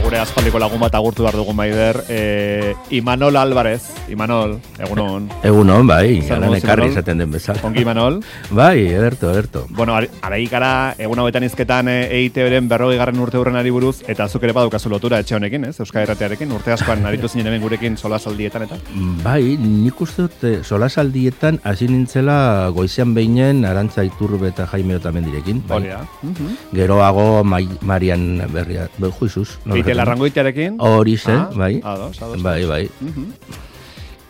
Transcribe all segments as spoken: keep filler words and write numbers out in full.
gure aspaldiko lagun bat agurtu behar dugu Maider, e, Imanol Álvarez, Imanol, egunon. Egunon, bai, garan ekarri izaten den bezala. Ongi Imanol? Bai, ederto, ederto. Bueno, araik gara, egun hauetan izketan E I T B-ren berrogei garren urte hurrenari buruz, eta zuk ere badukazu lotura etxe honekin, ez? Euskal Irratiarekin, urte askoan aritu zinen hemen gurekin solasaldietan eta? Bai, nik uste dut solasaldietan hasi nintzela goizean behinen Arantza Iturbe eta Jaime Otamendirekin. Bai. Hori da. Geroago Marian Berria, juizuz. Eite Larrangoitearekin? Hori zen, ah, bai. Ados, ados. Bai, bai. Uh-huh.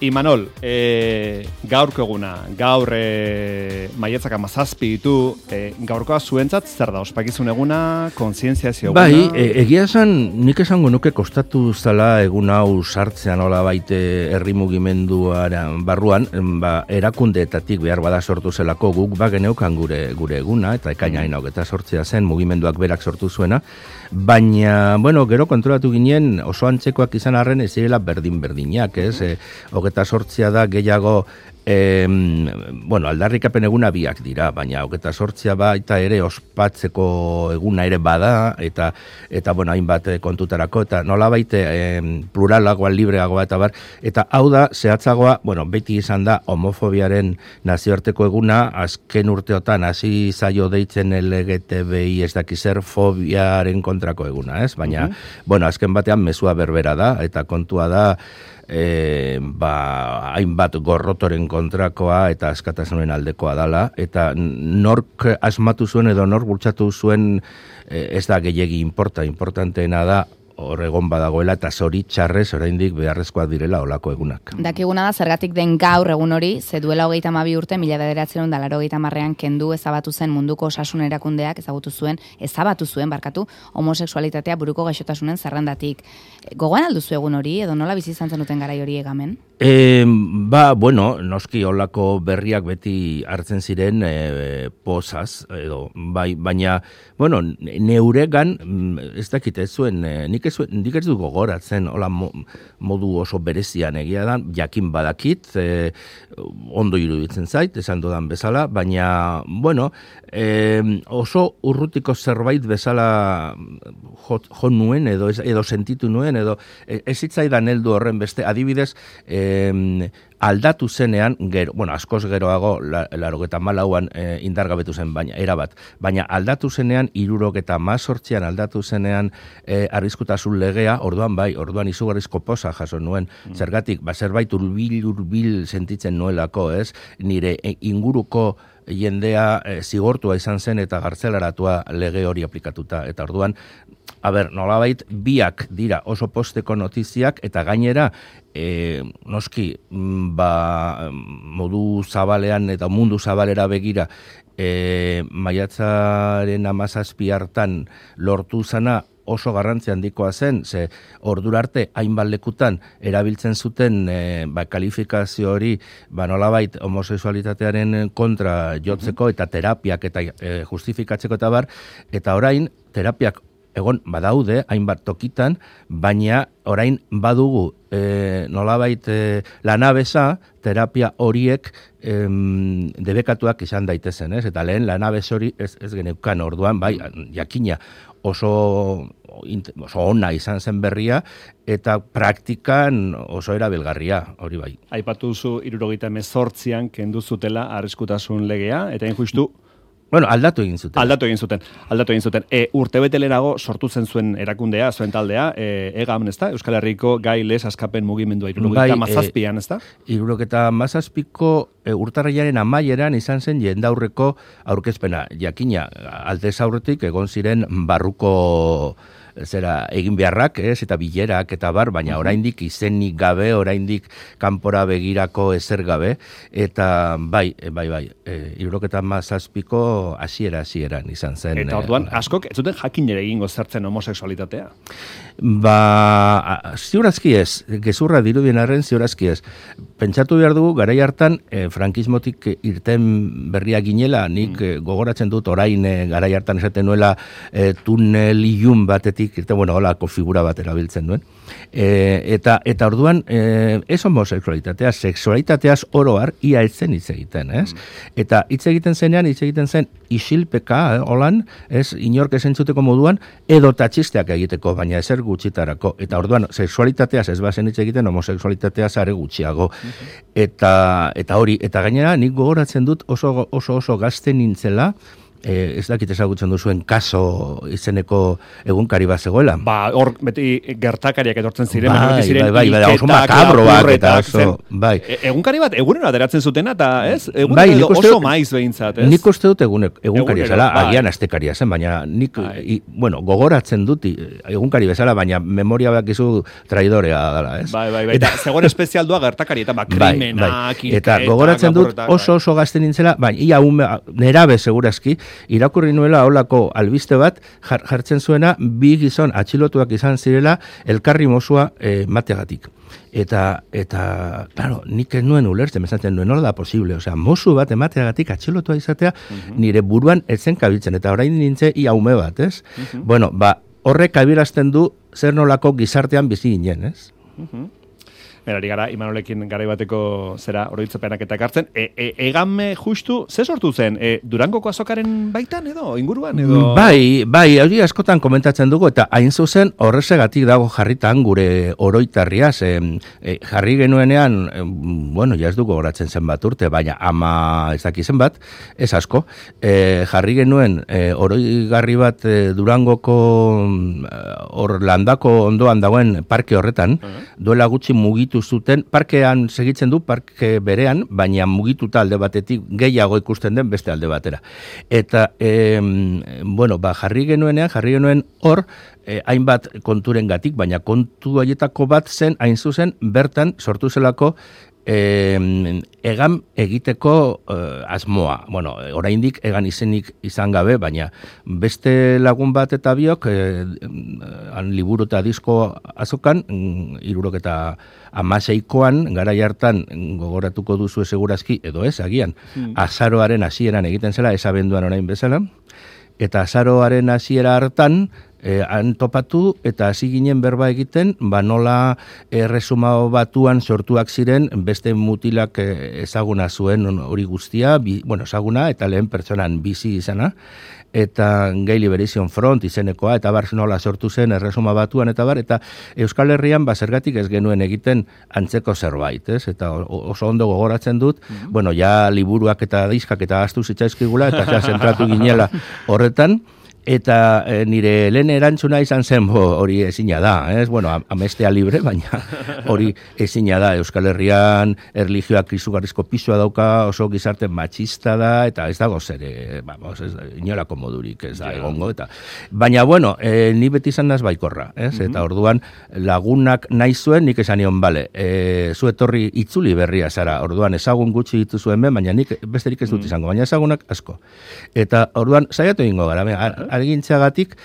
Imanol, e, gaurko eguna, gaur e, maiatzak amazazpi ditu, e, gaurkoa zuentzat zer da, ospakizun eguna, kontzientziazio eguna? Bai, e, egia esan, nik esango nuke kostatu zala egun hau sartzean hola baite herri mugimenduaren barruan, ba, erakundeetatik behar bada sortu zelako guk ba geneukan gure, gure eguna, eta ekainain hau eta sortzea zen mugimenduak berak sortu zuena, baina, bueno, gero kontrolatu ginen oso antzekoak izan arren ez zirela berdin-berdinak, ez? E, hogeta sortzea da gehiago, e, bueno, aldarrikapen eguna biak dira, baina hogeta sortzea baita ere ospatzeko eguna ere bada, eta, eta bueno, hainbat kontutarako, eta nola baite e, pluralagoa, libreagoa, eta bar, eta hau da, zehatzagoa, bueno, beti izan da homofobiaren nazioarteko eguna, azken urteotan hasi zaio deitzen L G T B I ez dakizer fobiaren kontrako eguna, ez? Baina, uh-huh. bueno, azken batean mezua berbera da, eta kontua da, E, ba, hainbat gorrotoren kontrakoa eta askatasunen aldekoa dala, eta nork asmatu zuen edo nork bultzatu zuen e, ez da gehiegi importa, importanteena da hor egon badagoela eta zoritxarrez oraindik beharrezkoak direla olako egunak. Dakiguna da zergatik den gaur egun hori, ze duela hogeita hamabi urte, mila bederatziehun eta laurogeita hamarrean kendu ezabatu zen munduko osasun erakundeak ezagutu zuen, ezabatu zuen barkatu, homosexualitatea buruko gaixotasunen zerrendatik. Gogoan alduzu egun hori, edo nola bizi izan zenuten garai hori egamen? E, ba, bueno, noski olako berriak beti hartzen ziren e, pozaz, edo, bai, baina, bueno, neuregan, ez dakit ez zuen, e, nik ez zuen, nik ez du gogoratzen, hola mo, modu oso berezian egia da, jakin badakit, e, ondo iruditzen zait, esan dudan bezala, baina, bueno, e, oso urrutiko zerbait bezala jo, jo nuen, edo, edo sentitu nuen, edo ez zitzaidan heldu horren beste, adibidez, e, Eh, aldatu zenean, gero, bueno, askoz geroago, larogeta malauan eh, indargabetu zen, baina, erabat, baina aldatu zenean, irurogeta mazortzian aldatu zenean eh, arriskutasun legea, orduan bai, orduan izugarrizko poza jaso nuen, mm. zergatik, ba, zerbait urbil, urbil sentitzen nuelako, ez, nire e, inguruko jendea e, zigortua izan zen eta gartzelaratua lege hori aplikatuta, eta orduan, a ber, nolabait, biak dira oso posteko notiziak, eta gainera, e, noski, ba, modu zabalean eta mundu zabalera begira, e, maiatzaren amazazpi hartan lortu zana oso garrantzi handikoa zen, ze ordura arte hainbat lekutan erabiltzen zuten e, ba, kalifikazio hori ba, nolabait homosexualitatearen kontra jotzeko eta terapiak eta e, justifikatzeko eta bar, eta orain terapiak egon badaude, hainbat tokitan, baina orain badugu e, nolabait e, lanabesa, terapia horiek em, debekatuak izan daitezen, ez? Eta lehen lanabes hori ez, ez geneukan orduan, bai, jakina oso, oso ona izan zen berria, eta praktikan oso erabilgarria, hori bai. Aipatu zu hirurogeita hemezortzian kendu zutela arriskutasun legea, eta injustu Bueno, aldatu egin zuten. Aldatu egin zuten. Aldatu egin zuten. E, urtebete lehenago sortu zen zuen erakundea, zuen taldea, e, EGAM, ezta? Euskal Herriko gai les askapen mugimendua hirurogeta hamazazpian, ezta? hirurogeta hamazazpiko e, urtarrilaren amaieran izan zen jendaurreko aurkezpena. Jakina, aldez aurretik egon ziren barruko zera egin beharrak, ez, eta bilerak eta bar, baina oraindik izenik gabe, oraindik kanpora begirako ezer gabe, eta bai, bai, bai, hirurogeta hamazazpiko hasiera hasieran izan zen. Eta orduan, askok, ez zuten jakin ere egingo zertzen homosexualitatea? Ba, ziurazki ez, gezurra dirudien arren ziurazki ez. pentsatu behar dugu, garai hartan, e, frankismotik irten berria ginela, nik mm. gogoratzen dut, orain e, garai hartan esaten nuela e, tunel ilun batetik, irten, bueno, holako figura bat erabiltzen duen. E, eta, eta orduan, e, ez homosexualitatea, sexualitateaz oroar, ia etzen hitz egiten, ez? Mm. Eta hitz egiten zenean, hitz egiten zen, isilpeka, eh, holan, ez, inork esentzuteko moduan, edo tatxisteak egiteko, baina ezer gutxitarako. Eta orduan, sexualitateaz ez bazen hitz egiten, homosexualitateaz are gutxiago. Mm-hmm. Eta, eta hori, eta gainera, nik gogoratzen dut oso oso, oso gazte nintzela, Eh, ez dakit ezagutzen duzuen kaso izeneko egunkari bat zegoela. Ba, hor, beti gertakariak etortzen ziren, bai, ziren bai, bai, bai, oso makabroak eta oso, bai. E, egunkari bat, egunero ateratzen zutena, eta ez? Egunero bai, edo uste, oso maiz behintzat, ez? Nik uste dut egun, egunkaria zela, bai. agian astekaria zen, baina nik, i, bueno, gogoratzen dut egunkari bezala, baina memoria bakizu traidorea dela, ez? Bai, bai, bai, eta zegoen espezialdua gertakari, eta ba, krimenak, bai, bai. Eta gogoratzen dut oso oso gazte nintzela, baina ia ume, nerabe segurazki, irakurri nuela holako albiste bat jartzen zuena bi gizon atxilotuak izan zirela elkarri mozua e, mateagatik. Eta, eta, claro, nik ez nuen ulertzen, mezatzen nuen, nola da posible, osea, mozu bat emateagatik atxilotua izatea, uh-huh. nire buruan etzen kabiltzen, eta orain nintze ia ume bat, ez? Uh-huh. Bueno, ba, horrek abirazten du zer nolako gizartean bizi ginen, ez? Uh-huh. Berari gara, Imanolekin garai bateko zera oroitzapenak eta ekartzen. E, e, egan justu, ze sortu zen? E, Durangoko azokaren baitan edo, inguruan edo? Bai, bai, hori askotan komentatzen dugu, eta hain zuzen horrezegatik dago jarritan gure oroitarria, ze e, jarri genuenean, e, bueno, ja ez dugu horatzen zen bat urte, baina ama ez dakizen bat, ez asko, e, jarri genuen e, oroigarri bat e, Durangoko hor landako ondoan dagoen parke horretan, uh-huh. duela gutxi mugitu zuten, parkean segitzen du, parke berean, baina mugituta alde batetik gehiago ikusten den beste alde batera. Eta, e, bueno, ba, jarri genuenean, jarri genuen hor, eh, hainbat konturen gatik, baina kontu haietako bat zen, hain zuzen, bertan sortu zelako Eh, egan egiteko eh, asmoa. Bueno, oraindik egan izenik izan gabe, baina beste lagun bat eta biok eh, han liburu eta disko azokan, hirurok eta hamaseikoan, garai hartan gogoratuko duzu segurazki, edo ez, agian, hmm. azaroaren hasieran egiten zela, ez abenduan orain bezala, eta azaroaren hasiera hartan, Eh, han topatu eta hasi ginen berba egiten, ba nola erresuma batuan sortuak ziren beste mutilak eh, ezaguna zuen hori guztia, bi, bueno, ezaguna eta lehen pertsonan bizi izana, eta Gay Liberation Front izenekoa, eta bar nola sortu zen erresuma batuan, eta bar, eta Euskal Herrian ba zergatik ez genuen egiten antzeko zerbait, ez? Eta oso ondo gogoratzen dut, mm-hmm. bueno, ja liburuak eta diskak eta astu zitzaizkigula, eta ja zentratu ginela horretan, eta e, nire lehen erantzuna izan zen hori ezina da, ez? Bueno, amestea libre, baina hori ezina da. Euskal Herrian erlijioak izugarrizko pisua dauka, oso gizarte matxista da, eta ez dago zer, e, vamos, ez, inolako modurik ez da egongo. Eta. Baina, bueno, e, ni beti izan naz baikorra, ez? Mm-hmm. Eta orduan lagunak nahi zuen, nik esan nion, bale, e, zu etorri itzuli berria zara, orduan ezagun gutxi ditu zuen ben, baina nik besterik ez dut izango, baina ezagunak asko. Eta orduan, saiatu egingo gara, argintzeagatik,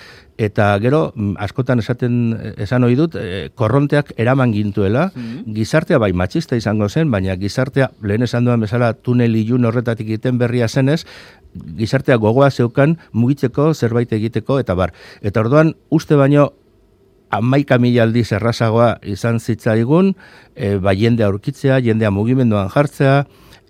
eta gero, askotan esaten esan ohi dut, e, korronteak eraman gintuela, mm-hmm. gizartea bai matxista izango zen, baina gizartea, lehen esan duan bezala, tunel ilun horretatik egiten berria zenez, gizartea gogoa zeukan mugitzeko, zerbait egiteko, eta bar. Eta orduan, uste baino, hamaika mila aldiz errazagoa izan zitzaigun, e, ba, jendea aurkitzea, jendea mugimenduan jartzea,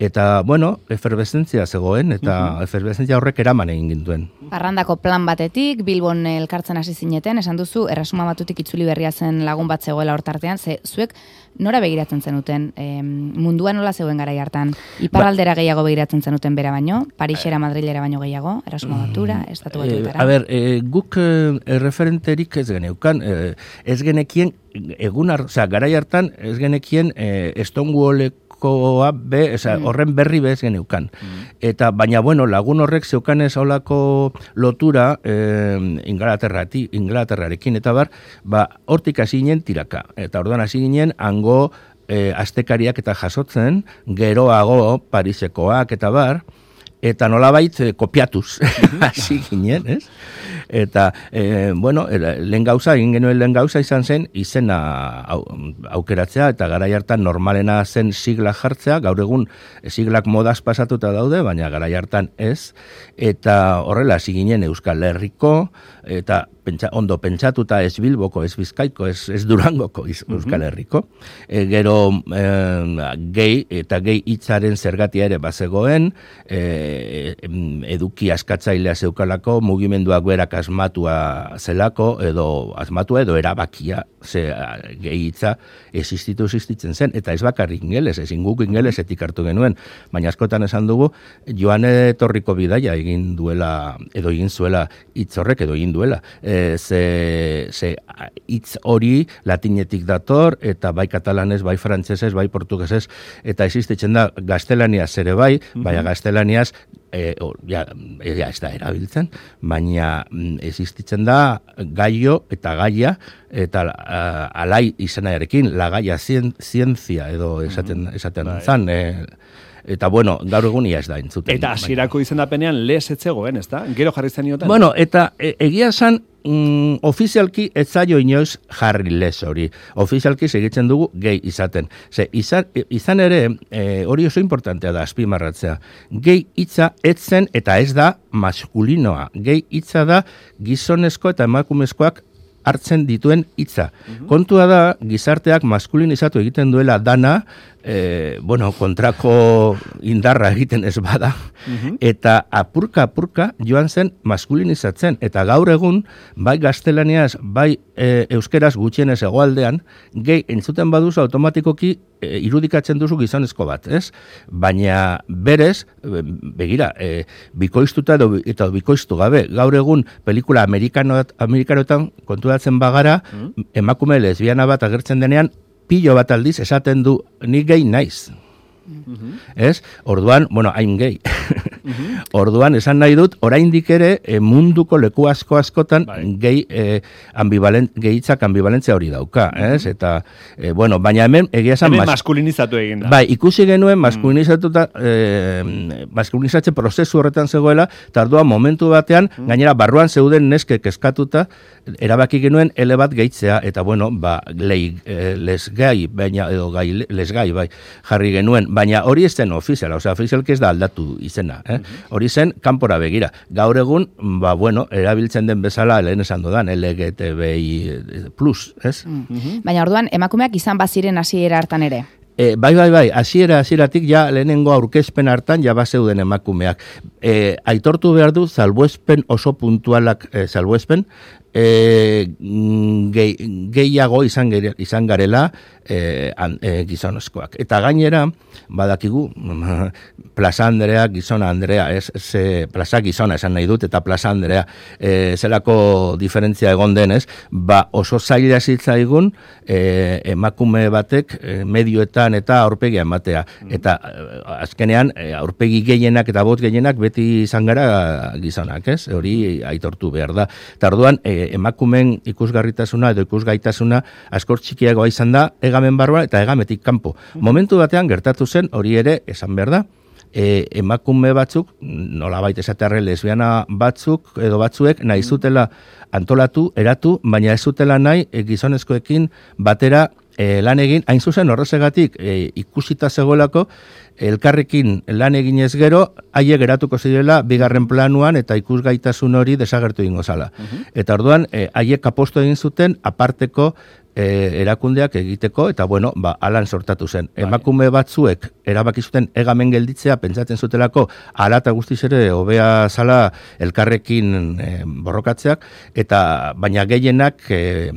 eta, bueno, eferveszentzia zegoen, eta uh-huh. eferveszentzia horrek eraman egin gintuen. Parrandako plan batetik, Bilbon elkartzen hasi zineten, esan duzu, erresuma batutik itzuli berria zen lagun bat zegoela hortartean, ze zuek nora begiratzen zenuten, e, mundua nola zegoen garai hartan, iparraldera ba, gehiago begiratzen zenuten bera baino, Parisera, Madrilera baino gehiago, erresuma batura, estatu batuetara. E, a ber, e, guk e, erreferenterik ez geneukan, e, ez genekien, egun, osea, garai hartan ez genekien e, Stonewalleko be, eza, mm. horren berri bez geneukan. Mm. Eta, baina, bueno, lagun horrek zeukan ez olako lotura eh, Inglaterrati, Inglaterrarekin, eta bar, ba, hortik hasi ginen tiraka. Eta orduan hasi ginen, hango eh, astekariak eta jasotzen, geroago Parisekoak, eta bar, eta nolabait eh, kopiatuz hasi ginen, ez? Eta, e, bueno, lehen gauza, egin genuen lehen gauza izan zen, izena au, aukeratzea, eta garai hartan normalena zen sigla jartzea, gaur egun siglak modaz pasatuta daude, baina garai hartan ez, eta horrela hasi ginen Euskal Herriko, eta pentsa, ondo pentsatuta ez Bilboko, ez Bizkaiko, ez, ez Durangoko iz, Euskal Herriko. E, gero e, gehi eta gehi hitzaren zergatia ere bazegoen, e, eduki askatzailea zeukalako, mugimenduak berak asmatua zelako, edo asmatua edo erabakia, ze gehi hitza existitu existitzen zen, eta ez bakarrik ingeles, ezin guk ingelesetik hartu genuen, baina askotan esan dugu, joan etorriko bidaia egin duela, edo egin zuela hitz horrek, edo egin duela, e, ze, ze hitz hori latinetik dator, eta bai katalanez, bai frantsesez, bai portugesez, eta existitzen da gaztelaniaz ere bai, mm-hmm. baina gaztelaniaz E, o, ja, ja, ez da erabiltzen, baina mm, existitzen da gaio eta gaia, eta uh, alai izanarekin, la gaia zien, zientzia edo esaten, esaten mm-hmm. zan, e, eta bueno, gaur egunia ez da entzuten. Eta hasierako izendapenean les etzegoen, ez da? Gero jarri zen iotan? Bueno, eta e, egia zan, Mm, ofizialki ez zaio inoiz jarri les hori. Ofizialki segitzen dugu gehi izaten. Ze, izan, izan ere, e, hori oso importantea da, azpimarratzea. Gehi hitza etzen eta ez da maskulinoa. Gehi hitza da gizonezko eta emakumezkoak hartzen dituen hitza. Uh-huh. Kontua da, gizarteak maskulinizatu egiten duela dana, e, bueno, kontrako indarra egiten ez bada, uh-huh. eta apurka-apurka joan zen maskulinizatzen. Eta gaur egun, bai gaztelaniaz, bai e, euskeraz gutxienez hegoaldean, gehi entzuten baduzu automatikoki e, irudikatzen duzu gizonezko bat, ez? Baina berez, begira, e, bikoiztuta edo, eta bikoiztu gabe, gaur egun pelikula amerikanot, amerikanotan konturatzen bagara, mm. emakume lesbiana bat agertzen denean, pilo bat aldiz esaten du, ni gehi naiz. Mm-hmm. Ez? Orduan, bueno, I'm gay. Mm-hmm. Orduan, esan nahi dut, oraindik ere e, munduko leku asko askotan gehi e, ambivalen, gehitzak ambivalentzia hori dauka, mm-hmm. ez? Eta, e, bueno, baina hemen egia esan... Hemen mas... maskulinizatu egin da. Bai, ikusi genuen maskulinizatuta, e, maskulinizatze prozesu horretan zegoela, eta orduan momentu batean, mm-hmm. gainera barruan zeuden neskek eskatuta, erabaki genuen ele bat gehitzea, eta bueno, ba, lei, e, lesgai, baina, edo gai, lesgai, bai, jarri genuen, baina hori ez zen ofiziala, osea, ofizialki ez da aldatu izena, eh? Mm-hmm. Hori zen kanpora begira. Gaur egun, ba, bueno, erabiltzen den bezala, lehen esan dudan, L G T B I plus, ez? Mm-hmm. Baina orduan, emakumeak izan baziren hasiera hartan ere? E, bai, bai, bai, hasiera hasieratik ja lehenengo aurkezpen hartan ja bazeuden emakumeak. E, aitortu behar du, salbuespen oso puntualak e, salbuespen, e, gehi, gehiago izan, gere, izan garela e, an, e, gizonezkoak. Eta gainera, badakigu, Plaza Andrea, Gizona Andrea, ez, ze, Plaza Gizona esan nahi dut, eta Plaza Andrea, e, zelako diferentzia egon denez, ba oso zaila zitzaigun e, emakume batek e, medioetan eta aurpegia ematea. Eta e, azkenean, e, aurpegi gehienak eta bot gehienak beti izan gara gizonak, ez? Hori aitortu behar da. Eta orduan, e, emakumen ikusgarritasuna edo ikusgaitasuna askor txikiagoa izan da, egamen barruan eta egametik kanpo. Momentu batean gertatu zen, hori ere esan behar da, e, emakume batzuk, nolabait esatearre lesbiana batzuk edo batzuek nahi zutela antolatu, eratu, baina ez zutela nahi e, gizonezkoekin batera e, lan egin, hain zuzen horrezegatik e, ikusita zegoelako, elkarrekin lan eginez gero, haiek geratuko zirela bigarren planuan eta ikusgaitasun hori desagertu ingo zala. Uh-huh. Eta orduan, haiek e, aposto egin zuten aparteko e, erakundeak egiteko, eta bueno, ba, alan sortatu zen. Bai. Emakume batzuek erabaki zuten egamen gelditzea, pentsatzen zutelako, ala eta guztiz ere hobea zala elkarrekin e, borrokatzeak, eta baina gehienak, e,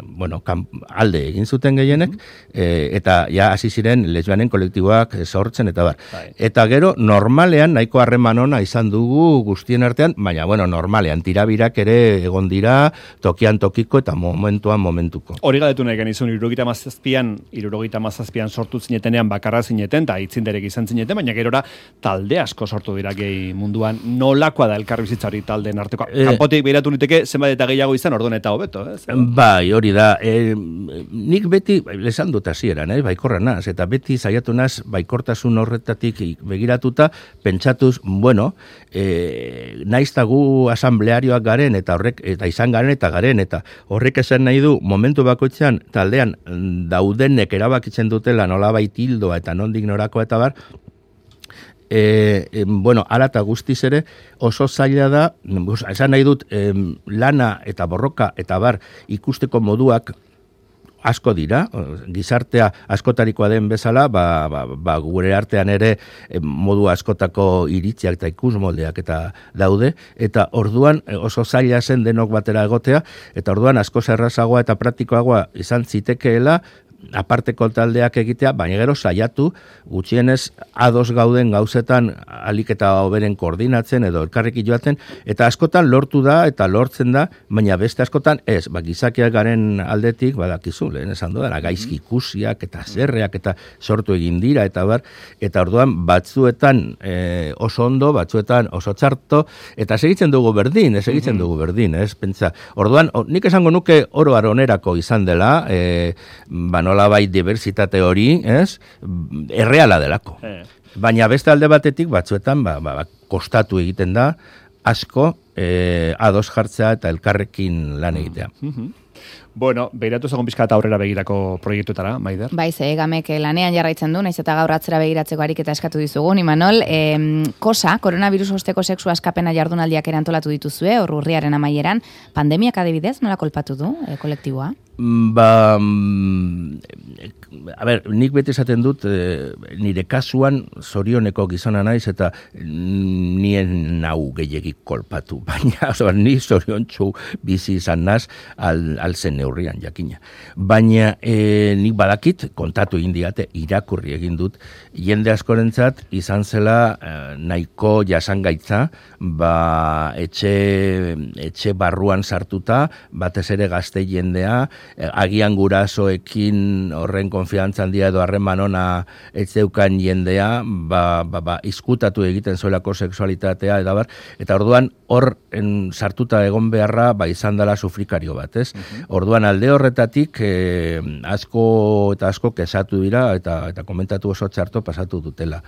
bueno, kan, alde egin zuten gehienek, uh-huh. e, eta ja hasi ziren lesbianen kolektiboak sortzen, eta bar. Bai. Eta gero, normalean, nahiko harreman ona izan dugu guztien artean, baina, bueno, normalean, tirabirak ere egon dira, tokian tokiko eta momentuan momentuko. Hori hori galetu nahi genizun, irurogeita mazazpian, irurogeita mazazpian sortu zinetenean bakarra zineten, eta itzinderek izan zineten, baina gerora talde asko sortu dira gehi munduan. Nolakoa da elkarbizitza hori taldeen arteko? E, Kanpotik behiratu niteke, zenbat eta gehiago izan, orduan eta hobeto, ez? Bai, hori da. E, nik beti, lesan dut hasieran, eh, baikorra naz, eta beti saiatu naz, baikortasun horretatik begiratuta, pentsatuz, bueno, e, naiztagu asamblearioak garen, eta horrek, eta izan garen, eta garen, eta horrek esan nahi du, momentu bakoitzean, taldean daudenek erabakitzen dutela nolabait hildoa eta nondik norako eta bar, E, e, bueno, ala eta guztiz ere oso zaila da, esan nahi dut, e, lana eta borroka eta bar ikusteko moduak asko dira, gizartea askotarikoa den bezala, ba, ba, ba, gure artean ere modu askotako iritziak eta ikusmoldeak eta daude, eta orduan oso zaila zen denok batera egotea, eta orduan asko errazagoa eta praktikoagoa izan zitekeela, aparteko taldeak egitea, baina gero saiatu gutxienez ados gauden gauzetan alik eta hoberen koordinatzen edo elkarrekin joaten, eta askotan lortu da eta lortzen da, baina beste askotan ez, ba, gizakiak garen aldetik, badakizu, lehen esan dudana, gaizki ikusiak eta zerreak eta sortu egin dira, eta bar, eta orduan batzuetan e, oso ondo, batzuetan oso txarto, eta segitzen dugu berdin, segitzen dugu berdin, ez, pentsa. Orduan, o, nik esango nuke oro aronerako izan dela, e, ba, nolabait diversitate hori, ez? Erreala delako. Eh. Baina beste alde batetik batzuetan ba, ba, kostatu egiten da asko eh, ados jartzea eta elkarrekin lan egitea. Mm-hmm. Bueno, behiratu zagon pizka eta aurrera begirako proiektuetara, Maider? Bai, ze egamek lanean jarraitzen du, naiz eta gaur atzera begiratzeko ariketa eskatu dizugun, Imanol. E, kosa, koronavirus osteko sexu askapena jardunaldiak erantolatu dituzue, hor urriaren amaieran. Pandemiak adibidez, nola kolpatu du e, kolektiboa? Ba, a ber, nik beti esaten dut, e, nire kasuan zorioneko gizona naiz eta nien nau gehiagik kolpatu, baina oso, ni zoriontsu bizi izan naz al, al zen neurrian jakina. Baina e, nik badakit, kontatu egin diate, irakurri egin dut, jende askorentzat izan zela e, nahiko jasangaitza, ba, etxe, etxe barruan sartuta, batez ere gazte jendea, agian gurasoekin horren konfiantza handia edo harreman ona ez zeukan jendea, ba, ba, ba, izkutatu egiten zuelako sexualitatea, eta bar, eta orduan hor en, sartuta egon beharra ba, izan dela sufrikario bat, ez? Uh-huh. Orduan alde horretatik eh, asko eta asko kesatu dira eta, eta komentatu oso txarto pasatu dutela.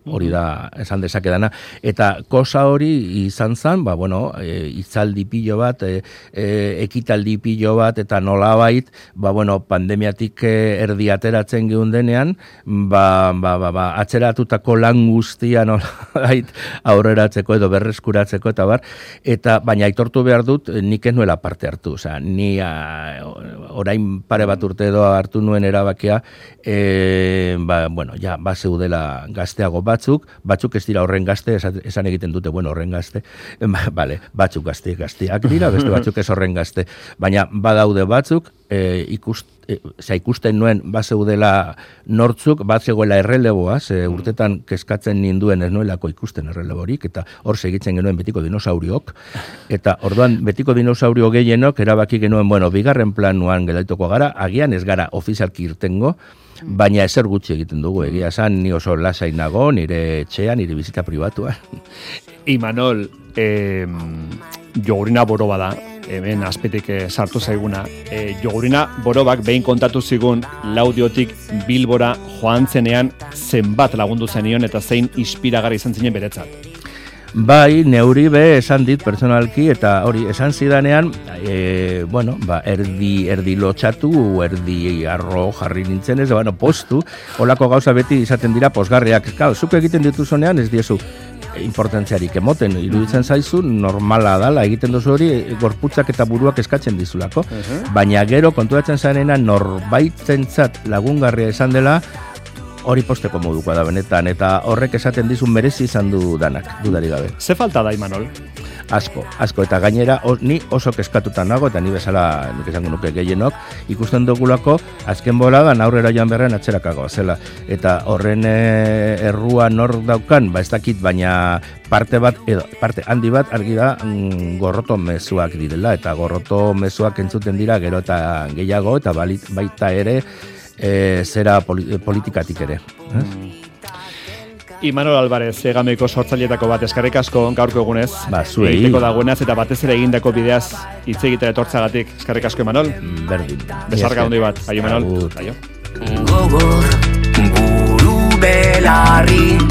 Hori da, esan dezakedana. Eta kosa hori izan zen, ba, bueno, e, itzaldi pilo bat, e, e, ekitaldi pilo bat, eta nolabait, ba, bueno, pandemiatik erdi ateratzen geundenean, ba, ba, ba, ba, atzeratutako lan guztia nolabait aurreratzeko edo berreskuratzeko, eta bar, eta baina aitortu behar dut, nik ez nuela parte hartu, oza, ni a, orain pare bat urte edo hartu nuen erabakia, e, ba, bueno, ja, ba zeudela gazteago batzuk, batzuk ez dira horren gazte, esan egiten dute, bueno, horren gazte, vale, batzuk gazte, gazteak dira, beste batzuk ez horren gazte, baina badaude batzuk, e, ikust, e, za ikusten nuen, bazeudela nortzuk, bat zegoela erreleboa, ze urtetan kezkatzen ninduen ez nuelako ikusten erreleborik, eta hor segitzen genuen betiko dinosauriok, eta orduan betiko dinosaurio gehienok erabaki genuen, bueno, bigarren planuan gelaituko gara, agian ez gara ofizialki irtengo, baina ezer gutxi egiten dugu, egia esan, ni oso lasai nago, nire etxea, nire bizita pribatua. Imanol, eh, jogurina boroba da, hemen azpetik eh, sartu zaiguna. Eh, jogurina borobak behin kontatu zigun Laudiotik Bilbora joan zenean zenbat lagundu zenion eta zein inspiragarri izan zinen beretzat. Bai, neuri be esan dit personalki, eta hori esan zidanean, e, bueno, ba, erdi, erdi lotxatu, erdi arro jarri nintzen ez, bueno, postu, holako gauza beti izaten dira posgarriak. Kau, zuk egiten dituzunean ez diezu importantziarik emoten, iruditzen zaizu, normala dala, egiten duzu hori, gorputzak eta buruak eskatzen dizulako, uh-huh. Baina gero, kontuatzen zarenena, norbaitentzat lagungarria esan dela, hori posteko modukoa da benetan, eta horrek esaten dizun merezi izan du danak, dudari gabe. Ze falta da, Imanol? asko, asko, eta gainera os, ni oso keskatuta nago, eta ni bezala, nik esango nuke gehienok, ikusten dugulako, azken boladan aurrera joan berrean atxerakagoa zela, eta horren e, errua nor daukan, ba ez dakit, baina parte bat, edo, parte handi bat, argi da, mm, gorroto mezuak direla, eta gorroto mezuak entzuten dira, gero eta gehiago, eta balit, baita ere, e, zera poli, politikatik ere. Mm. Imanol Alvarez, egameiko sortzailetako bat, eskarrik asko gaurko egunez. Ba, zuei. Egiteko dagoenaz eta batez ere egindako bideaz hitz egitera etortzagatik. Eskarrik asko, Imanol. Berdin. Besarka handi bat. Aio, Imanol. Agur. Aio. Gogor, buru belarri.